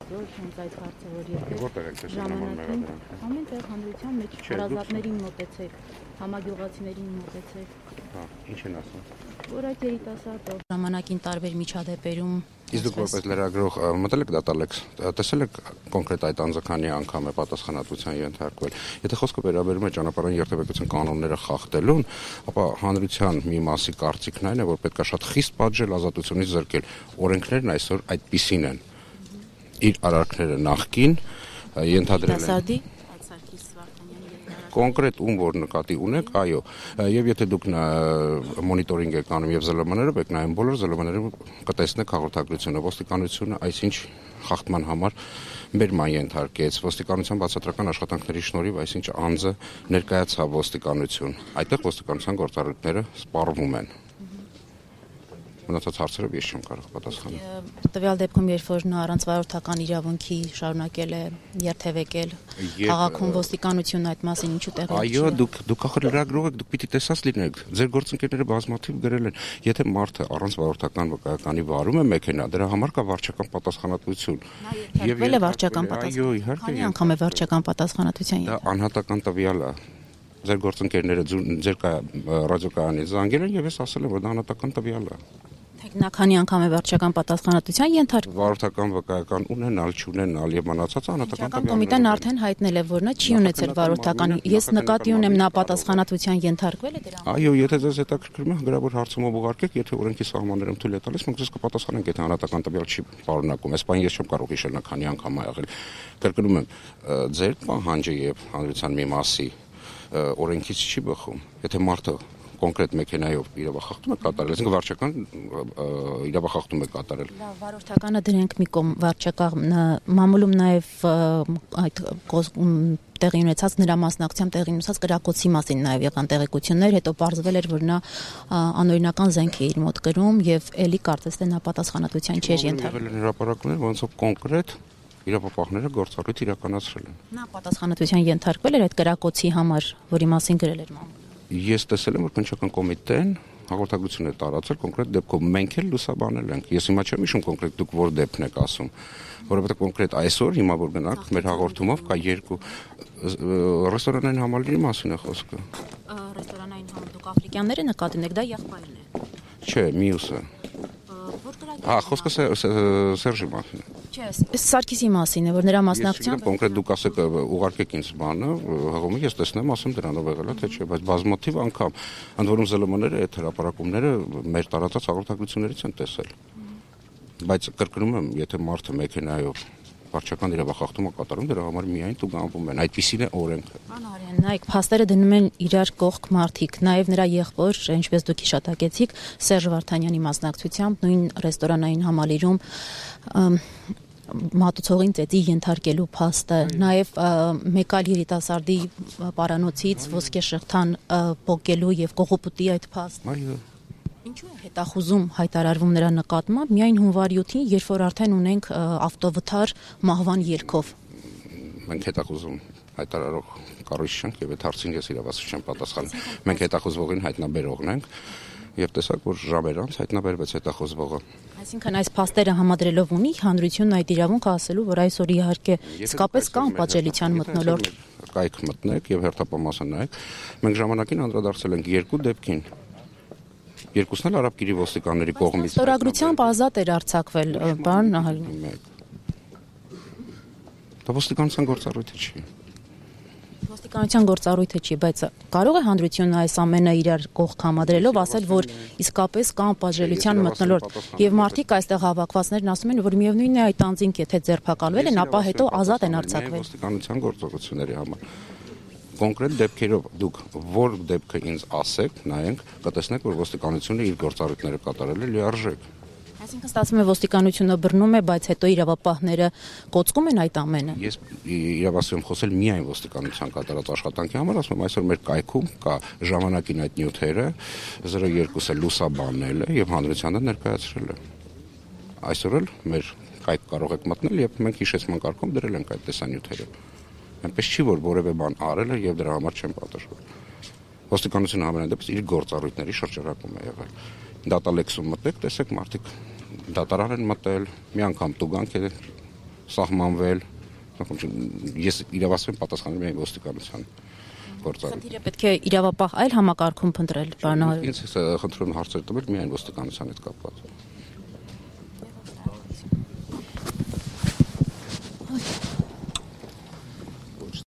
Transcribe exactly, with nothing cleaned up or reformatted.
այսօր հենց այդ հարցը, որ եթե Որտեղ եք տեսել նման մեղադրանք։ Ամեն տեղ հանրության մեջ հարազատներին մոտեցեք, համագյուղացիներին մոտեցեք։ Հա, ինչ են ասում։ Որ այդ երիտասարդը ժամանակին տարբեր միջադեպերում Իսկ դուք որպես լրագրող մտել եք դատալեքս, տեսել եք կոնկրետ այդ անձականի անգամ է պատասխանատվության ենթարկվել։ Եթե խոսքը վերաբերում է ճանապարհային երթևեկության կանոնները խախտելուն, ապա հանրության մի մասի կարծիքն այն է, որ պետք է շատ խիստ պատժել, ազատությունից զրկել։ Օրենքներն այսօր այդպիսին են։ Իր արարքները նախկին ենթադրել են կոնկրետ ում որ նկատի ունեք, այո, եւ եթե դուք մոնիտորինգ եք անում եւ զլ մ-ներով եք նայում բոլոր զլ մ-ներում կտեսնեք հաղորդագրությունը, ոստիկանությունը այսինչ խախտման համար բերման ենթարկեց, ոստիկանության բացատրական աշխատանքների շնորհիվ այսինչ անձը ներկայացավ ոստիկանություն, այդտեղ ոստիկանության գործառույթները սպառվում են։ Մնացած հարցերով ես չեմ կարող պատասխանել։ Տվյալ դեպքում, երբ որ նա առանց վարորդական իրավունքի շարունակել է երթևեկել, քաղաքում ոստիկանությունը այդ մասին ինչու տեղի չի։ Այո, դուք դուք ախր լրագրող եք, դուք պիտի տեսած լինեք։ Ձեր գործընկերները բազմաթիվ գրել են, եթե մարդը առանց վարորդական վկայականի վարում է մեքենա, դրա համար կա վարչական պատասխանատվություն։ Եվ ել է վարչական պատասխանատվություն։ Այո, իհարկե։ Քանի անգամ է վարչական պատասխանատվության դա անհատական տվյալ է։ Ձեր գործընկերները ձեր ռադիոկայանից զանգել են եւ ես ասել եմ, որ դա անհատական տվյալ է։ Նա քանի անգամ է վարչական պատասխանատվության ենթարկվել։ Վարորդական վկայական ունենալ, չունենալ եւ մնացածը անհատական տվյալներ։ Կոմիտեն արդեն հայտնել է, որ նա չի ունեցել վարորդական։ Ես նկատի ունեմ նա պատասխանատվության ենթարկվել է դրա։ Այո, եթե ձեզ հետաքրքրում է, գրավոր հարցումով ուղարկեք, եթե օրենքի սահմաններում թույլ է տալիս, մենք ձեզ կպատասխանենք, եթե անհատական տվյալ չի պարունակում։ Այս բանը ես չեմ կարող հիշել նա քանի անգամ ա եղել։ Կրկնում եմ, ձեր պահանջը եւ հանրության մի մասի օրենքից չի բխում։ Եթե մարդը կոնկրետ մեքենայով իրավախախտում է կատարել, այսինքն վարչական իրավախախտում է կատարել։ Լավ, վարորդականը դրենք մի կողմ, վարչական մամուլում նաև այդ տեղի ունեցած նրա մասնակցությամբ տեղի ունեցած կրակոցի մասին նաև եղան տեղեկություններ, հետո պարզվել էր, որ նա անօրինական զենք է իր մոտ կրում եւ ելի կարծես թե նա պատասխանատվության չէր ենթարկվել։ Հրապարակներ, ոնցով կոնկրետ իրավապահները գործառույթ իրականացրել են։ Նա պատասխանատվության ենթարկվել էր այդ կրակոցի համար, որի մասին գրել էր մամուլը։ Ես տեսել եմ, որ քննչական կոմիտեն հաղորդագրություն է տարածել կոնկրետ դեպքով, մենք էլ լուսաբանել ենք։ Ես հիմա չեմ հիշում կոնկրետ դուք որ դեպքն եք ասում, որովհետեւ կոնկրետ այսօր հիմա որ գնանք մեր հաղորդումով կա երկու ռեստորանային համալիրի մասին է խոսքը։ Ռեստորանային համալիր դուք աֆրիկյանները նկատի ունեք, դա եղբայրն է։ Չէ, մյուսը։ Հա, խոսքը Սերժի մասին է։ Չէ, Սարգիսի մասին է, որ նրա մասնակցությամբ կոնկրետ դուք ասեք ուղարկեք ինձ բանը, հղումը ես տեսնեմ, ասեմ դրանով եղել է թե չէ, բայց բազմաթիվ անգամ ընդ որում զլ մ-ները այդ հրապարակումները մեր տարածած հաղորդագրություններից են տեսել։ Բայց կրկնում եմ, եթե մարդը մեքենայով վարչական իրավախախտումը կատարում, դրա համար միայն տուգանվում են։ Այդպիսին է օրենքը։ Անարյան, նայեք, փաստերը դնում են իրար կողք մարդիկ, նաև նրա եղբոր, ինչպես դուք հիշատակեցիք, Սերժ Վարդանյանի մասնակցությամբ նույն ռեստորանային համալիրում մատուցողին ծեծի ենթարկելու փաստը, նաև մեկ այլ երիտասարդի պարանոցից ոսկե շղթան պոկելու եւ կողոպուտի այդ փաստը։ Ինչու է հետախուզում հայտարարվում նրա նկատմամբ միայն հունվար յոթին, երբ որ արդեն ունենք ավտովթար մահվան ելքով։ Մենք հետախուզում հայտարարող կառույց չենք եւ այդ հարցին ես իրավասու չեմ պատասխանում։ Մենք հետախուզվողին հայտնաբերողն ենք եւ տեսակ որ ժամեր անց հայտնաբերվեց հետախուզվողը։ Այսինքն այս փաստերը համադրելով ունի հանրությունն այդ իրավունքը ասելու, որ այսօր իհարկե իսկապես կան պատժելիության մթնոլորտ։ Կայք մտնեք եւ հերթապամասը նայեք։ Մենք ժամանակին անդրադարձել ենք երկու դեպքին։ Երկուսն էլ արաբկիրի ոստիկանների կողմից։ Ստորագրությամբ ազատ էր արձակվել, բան Դա ոստիկանության գործառույթը չի։ Ոստիկանության գործառույթը չի, բայց կարող է հանրությունը այս ամենը իրար կողք համադրելով ասել, որ իսկապես կան պատժելիության մթնոլորտ եւ մարդիկ այստեղ հավաքվածներն ասում են, որ միևնույնն է այդ անձինք եթե ձերբակալվել են, ապա հետո ազատ են արձակվել։ Ոստիկանության գործողությունների համար կոնկրետ դեպքերով դուք որ դեպքը ինձ ասեք, նայենք, կտեսնեք, որ ոստիկանությունը իր գործառույթները կատարել է լիարժեք։ Այսինքն ստացվում է ոստիկանությունը բռնում է, բայց հետո իրավապահները կոծկում են այդ ամենը։ Ես իրավասու եմ խոսել միայն ոստիկանության կատարած աշխատանքի համար, ասում եմ, այսօր մեր կայքում կա ժամանակին այդ նյութերը, զրո երկուսը լուսաբանել է եւ հանրությանը ներկայացրել է։ Այսօր էլ մեր կայք կարող եք մտնել եւ մենք հիշեցման կարգում դրել ենք այդ տեսանյութերը։ Այնպես չի որ որևէ բան արել է եւ դրա համար չեն պատժվել։ Ոստիկանությունը համենայն դեպս իր գործառույթների շրջանակում է եղել։ Դատալեքսում մտեք, տեսեք մարդիկ դատարան են մտել, մի անգամ տուգանք է սահմանվել, ես իրավասու եմ պատասխանել միայն ոստիկանության գործառույթ։ Խնդիրը պետք է իրավապահ այլ համակարգում փնտրել, պարոն Ահարոնյան։ Ինձ խնդրում հարցեր տվել միայն ոստիկանության հետ կապված։